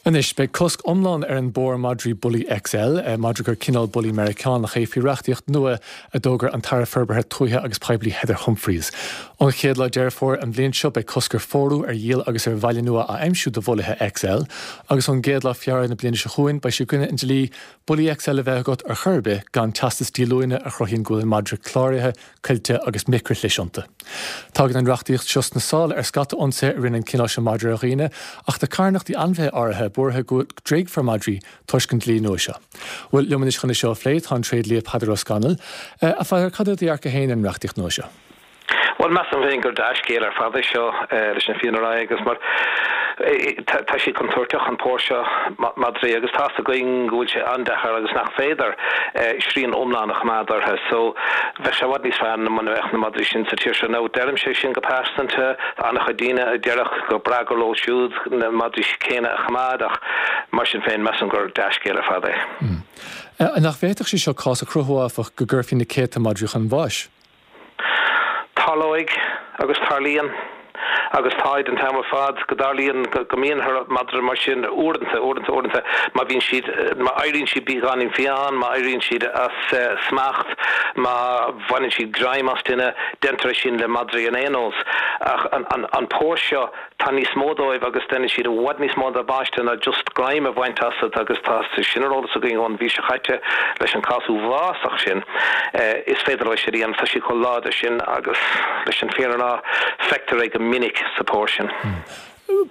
Anois, beidh cosc iomlán ar an bpór madraí Bully XL, madra gur cineál Bully Meiriceánach é, faoi reachtaíocht nua a d'fhógair an tAire Forbartha Tuaithe agus Poiblí Heather Humphreys. Ón chéad lá Deireadh Fómhair an bhliain seo, beidh cosc ar phórú, ar dhíol agus ar bhaile nua a aimsiú do Bhulaithe XL, agus ón gcéad lá Feabhra na bliana seo chugainn, beidh sé i gcoinne an dlí Bully XL a bheith agat ar chor ar bith gan teastas díolúine a chruthaíonn go bhfuil an madra cláraithe coillte agus micrishlis iontu. Tagann an reachtaíocht seo sna sála ar scata ionsaithe a rinne an cineál seo madra ar dhaoine, ach tá carthanachtaí ainmhithe áirithe buartha go dtréigfear madraí toisc an dlí nua seo. Bhuel, liom anois chun é seo a phlé tá an tréidlia Peadar Ó Scanaill. A Pheadair, cad é do dhearcadh féin ar an reachtaíocht nua seo? Bhuel, measaim féin gur dea-scéal ar fad é seo, leis an fírinne a rá, agus mar tá sé contúirteach, an pór seo madraí, agus tá's againn go bhfuil sé an-deacair agus nach féidir srian iomlán a choimeád orthu. So, bheadh sé i bhfad níos fearr muna mbeadh na madraí sin sa tír seo. Now, deirimse é sin go pearsanta, tá an-chuid daoine a déarfadh gur breá gur leo siúd na madraí céanna a choimeád ach mar sin féin, measaim gur dea-scéal ar fad é. Nach bhféadfadh sé seo cás a chruthú, áfach, go gcuirfí na céadta madraí chun bháis? Tarlóidh, agus tarlaíonn, agus táid an t-am ar fad, go dtarlaíonn go mbíonn madra mar sin uaireanta, uaireanta, uaireanta, má bhíonn siad, má éiríonn siad beagáinín fiáin, má éiríonn siad as smacht, má bhaineann siad greim as duine, déantar é sin le madraí in aon nós. Ach an pór seo, Tá níos mó dóibh agus déanann siad i bhfad níos mó damáiste ná just greim a bhaint asat agus tá sé sin ar eolas againn ón mhí seo chaite leis an cás uafásach sin. Is féidir leo sin a dhéanamh, tá siad chomh láidir sin agus leis an fírinne a rá, feictear é go minic sa pór sin.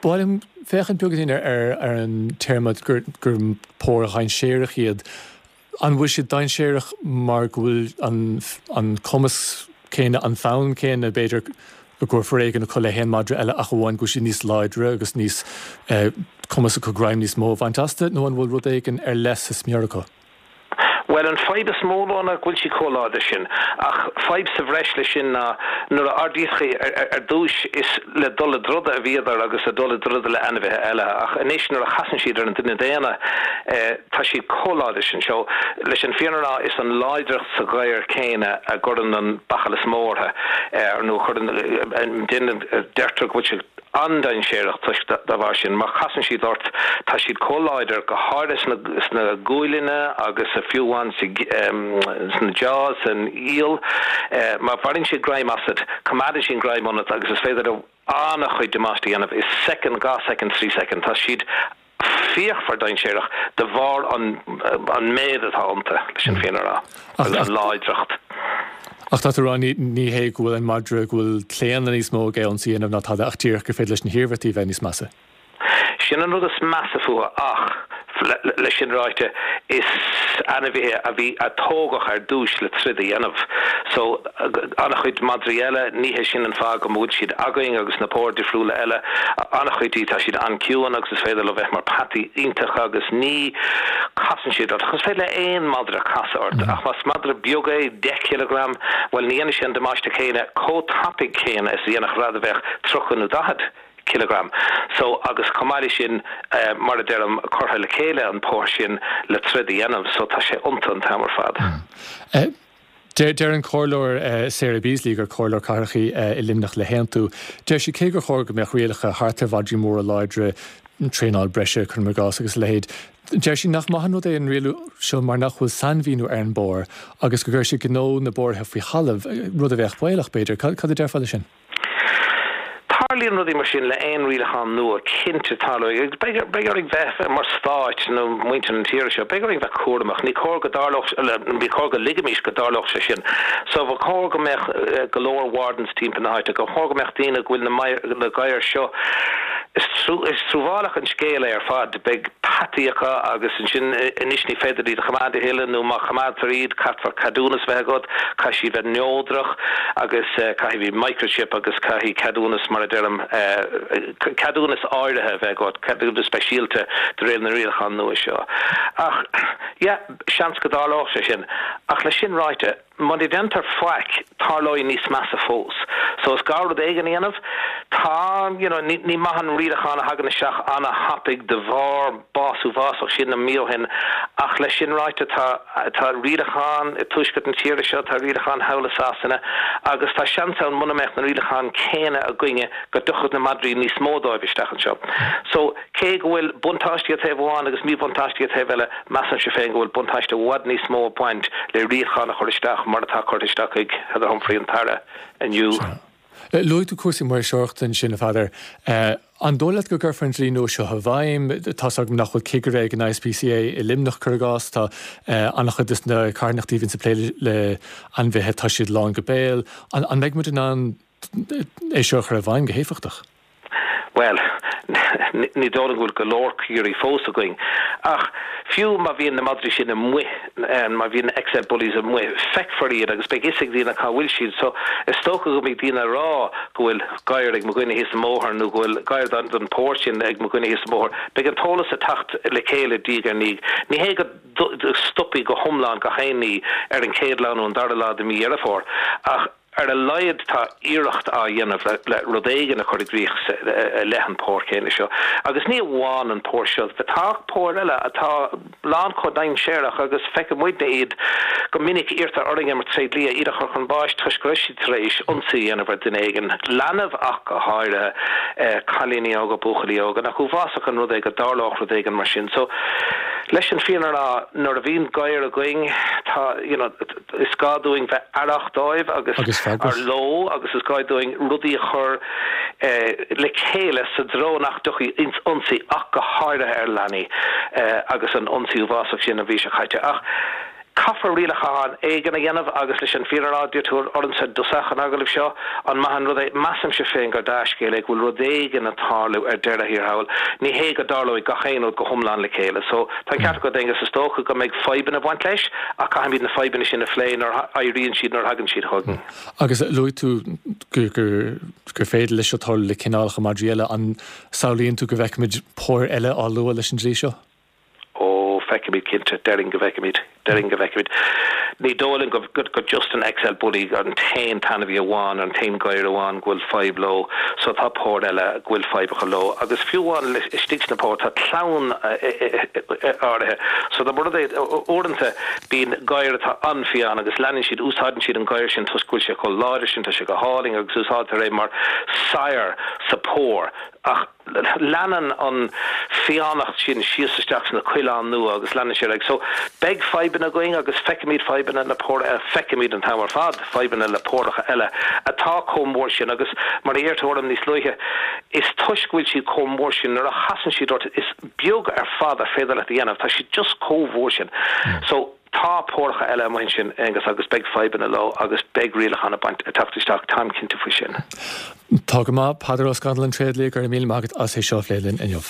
Ba mhaith liom féachaint beagáinín ar an téarma gur pór dhainséarach iad. An bhfuil siad dainséarach mar go bhfuil an cumas céanna, an fonn céanna, b'fhéidir, i gcomhair foréigean acu le haon madra eile ach amháin go bhfuil siad níos láidre agus níos cumas acu greim níos mó a bhaint astu nó an bhfuil rud éigin ar leith sa smior acu? Bhuel, an fadhb is mó leo ná go bhfuil siad chomh láidir sin. Ach fadhb sa bhreis leis sin ná nuair a ardaíodh ar dtúis is le dul i dtroda a bhíodar agus le dul i dtroda le ainmhithe eile ach anois nuair a chasann siad ar an duine daonna, Tá siad chomh láidir sin. So, leis an fírinne a rá, is an láidreacht sa ghadhar céanna a gcuireann an bachall is mó orthu, nó a chuireann, déanann, deirtear go bhfuil siad an-dainséarach toisc dá bharr sin. Má chasann siad ort, tá siad chomh láidir, go háirithe sna, sna guailleanna agus fiú amháin sa, sna jaws, san iall. Má bhaineann siad greim asat, coimeádann siad an greim ionat agus is féidir leo an-chuid damáiste a dhéanamh i soicind, 2 soicind, 3 soicind. Tá siad fíochmhar dainséarach de bharr an méid atá iontu, leis an fírinne a rá, agus an láidreacht. Ach tá tú ag rá, ní hé go bhfuil an madra, go bhfuil claonadh níos mó aige ionsaí a dhéanamh ná tada ach díreach gur féidir leis na hiarmhairtí a bheith níos measa. Sin an rud is measa fúthu ach, leis sin ráite, is ainmhithe a bhí, a tógadh ar dtúis le troid a dhéanamh. So, an-chuid madraí eile, ní hé sin an fáth go bhfuil siad againn agus na póir difriúla eile, an-chuid díobh tá siad an-ciúin agus is féidir leo bheith mar peataí iontacha agus ní casann siad ort. Is féidir le aon madra casadh ort ach más madra beag é, 10 cileagram, bhuel ní dhéanfaidh sé an damáiste céanna chomh tapaidh céanna is a dhéanfadh rud a bheadh 30 nó 40. cileagram. So, agus chomh maith leis sin, mar a deirim, curtha le chéile an pór sin le troid a dhéanamh, so tá sé iontu an t-am ar fad. Deir an Comhairleoir Sarah Beasley, gur Comhairleoir Cathrach í i Luimneach le hAontú, deir sí cé gur chóir go mbeadh rialacha thart ar mhadraí móra láidre, traenáil breise, cuirim i gcás, agus a leithéid, deir sí nach maith an rud é an rialú seo mar nach bhfuil sainmhíniú ar an bpór agus go gcuirfidh sé gnó na bpóraithe faoi thalamh, rud a bheadh baolach, b'fhéidir. Cad a déarfá leis sin? Tarlaíonn rudaí mar sin le aon rialachán nua, cinnte tarlóidh. Beidh beidh orainn bheith, mar stáit nó muintir na tíre seo, beidh orainn bheith cúramach. Ní cóir go dtarlódh, ní cóir go ligimis go dtarlódh sé sin. So ba chóir go mbeadh go leor wardens timpeall na háite, ba chóir go mbeadh daoine go bhfuil na na gadhair seo, is is truamhéalach an scéal é ar fad. Beidh peataí acu agus ansin anois ní féidir iad a choimeád a thuilleadh nó má choimeádtar iad caithfear ceadúnas a bheith agat, caithfidh siad bheith neodrach agus caithfidh bheith microchip agus caithfidh ceadúnas mar a deirim ceadúnas áirithe a bheith agat, ceadúnas speisialta de réir na rialachán nua seo. Ach yeah, seans go dtarlódh sé sin. Ach leis sin ráite, muna déantar faic, tarlóidh níos measa fós. So is gá rud éigin a dhéanamh. Tá, you know, ní maith an rialachán a thagann isteach ana-thapaidh de bharr bás uafásach sin na mí ó shin ach leis sin ráite tá, tá rialacháin i tuaisceart na tíre seo, tá rialacháin thall i Sasana agus tá seans ann muna mbeadh na rialacháin céanna againne go dtiocfadh na madraí níos mó dóibh isteach anseo. So, cé go bhfuil buntáistí ar taobh amháin agus míbhuntáistí ar taobh eile, measaimse féin go bhfuil buntáiste i bhfad níos mó ag baint le rialachán a chur isteach mar atá curtha isteach ag Heather Humphrey an tAire inniu. Luaigh tú cúrsaí maoirseoireachta ansin, a Pheadair. An dóigh leat go gcuirfear an dlí nua seo i bhfeidhm? Tá's agam nach bhfuil cigire ag an ISPCA i Luimneach, cuir i gcás. Tá an-chuid de na carthanachtaí a bhíonns ag plé le hainmhithe, tá siad lán go béal. An mbeidh muid in ann é seo a chur i bhfeidhm go héifeachtach? Bhuel, ní dóigh liom go bhfuil go leor cigirí fós againn. Ach fiú má bhíonn na madraí sin amuigh, má bhíonn na XL Bullies amuigh, feicfear iad agus beidh fhios ag daoine cá bhfuil siad. So, is dócha go mbeidh daoine ag rá go bhfuil gadhar ag mo dhuine thíos an bóthar nó go bhfuil gadhar den phór sin ag mo dhuine thíos an bóthar. Beidh an t-eolas ag teacht le chéile diaidh ar ndiaidh. Ní hé go stopfaidh go hiomlán gach aon ní ar an chéad lá nó an dara lá de mhí Dheireadh Fómhair, ach Ar a laghad tá iarracht á dhéanamh le rud éigin a chur i gcrích i leith an pór céanna seo. Agus ní amháin an pór seo, tá póir eile atá lán chomh dainséarach agus feiceann muidne iad go minic, iarrtar orainne mar tréidlia iad a chur chun báis toisc go raibh siad tar éis ionsaí a dhéanamh ar dhuine éigin, leanbh ach go háirithe, cailíní óga, buachaillí óga. Nach uafásach an rud é go dtarlódh rud éigin mar sin. So, leis an fírinne a rá, nuair a bhíonn gadhar againn, tá, you know, Is gá dúinn bheith aireach dóibh agus ar leo agus is gá dúinn rudaí a chur le chéile sa dtreo nach dtiocfaidh ionsaí ach go háirithe ar leanaí agus an ionsaí uafásach sin an mhí seo caite. Ach caithfear rialachán éigin a dhéanamh agus leis an fírinne a rá, d'iarr tú ormsa i dtosach an agallaimh seo, an maith an rud é? Measaimse féin gur dea-scéal é go bhfuil rud éigin ag tarlú ar deireadh thiar thall. Ní hé go dtarlóidh gach aon rud go hiomlán le chéile. So, Tá an ceart agat, Aengus, is dócha go mbeidh fadhbanna ag baint leis ach caithfimid na fadhbanna sin a phlé nuair a éiríonn siad, nuair a thagann siad chugainn. Agus luaigh tú gur féidir leis seo tarlú le cineálacha madraí eile. An samhlaíonn tú go bhfeicfimid póir eile á lua leis an dlí seo? Ó, feicfimid cinnte. Déarfainn go bhfeicfimid. Déarfainn go bhfeicfimid. Ní dóigh liom go just an XL Bully an t-aon t-ainmhí amháin, an t-aon ghadhar amháin go bhfuil fadhb leo. So tá póir eile go bhfuil fadhb acu leo. Agus fiú amháin istigh sna póir tá clann áirithe. So dá mba rud é, uaireanta bíonn gadhar atá an-fhiáin agus leanann siad, úsáideann siad an gadhar sin toisc go bhfuil sé chomh láidir sin, tá sé go hálainn agus úsáidtear é mar sire sa pór. Ach. Leanann an fiánacht sin síos isteach sna coileáin nua agus leanann sé ar aghaidh. So, beidh fadhbanna againn agus feicimid fadhbanna le póir eile, feicimid an t-am ar fad fadhbanna le póracha eile atá chomh mór sin agus mar a d'iarr tú orm níos luaithe, is toisc go bhfuil siad chomh mór sin, nuair a chasann siad ort, is beag ar fad ar féidir leat a dhéanamh, tá siad just chomh mhór sin. So. Tá póracha eile amuigh ansin, Aengus, agus beidh fadhbanna leo agus beidh rialacháin ag baint, ag teacht isteach, táim cinnte faoi sin. Tá go maith. Peadar Ó Scanaill, an tréidlia, go raibh míle maith agat as é seo a phlé linn inniu.